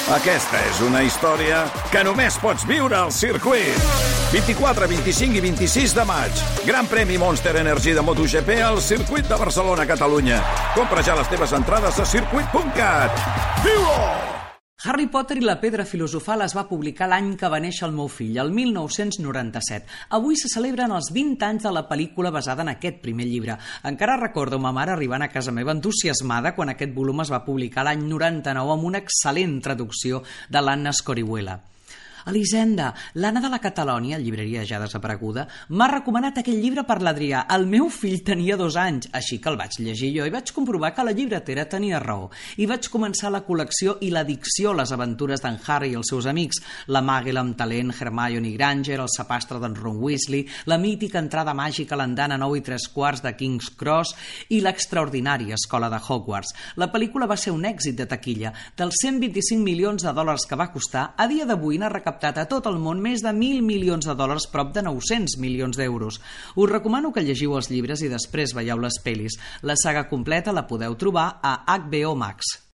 Aquesta és una història que només pots viure al circuit. 24, 25 i 26 de maig. Gran premi Monster Energy de MotoGP al circuit de Barcelona, Catalunya. Compra ja les teves entrades a circuit.cat. Viu-ho! Harry Potter i la pedra filosofal es va publicar l'any que va néixer el meu fill, el 1997. Avui se celebren els 20 anys de la pel·lícula basada en aquest primer llibre. Encara recordo ma mare arribant a casa meva entusiasmada quan aquest volum es va publicar l'any 99 amb una excel·lent traducció de l'Anna Scorihuela. Elisenda, l'Anna de la Catalònia, llibreria ja desapareguda, m'ha recomanat aquell llibre per l'Adrià. El meu fill tenia 2 anys, així que el vaig llegir jo i vaig comprovar que la llibretera tenia raó. I vaig començar la col·lecció i l'addicció a les aventures d'en Harry i els seus amics, la Màgula amb talent, Hermione Granger, el sapastre d'en Ron Weasley, la mítica entrada màgica a l'andana 9 3/4 de King's Cross i l'extraordinària escola de Hogwarts. La pel·lícula va ser un èxit de taquilla. Dels 125 milions de dòlars que va costar, a dia d'avui n'ha recaptat a tot el món més de 1.000 milions de dòlars, prop de 900 milions d'euros. Us recomano que llegiu els llibres i després veieu les pel·lis. La saga completa la podeu trobar a HBO Max.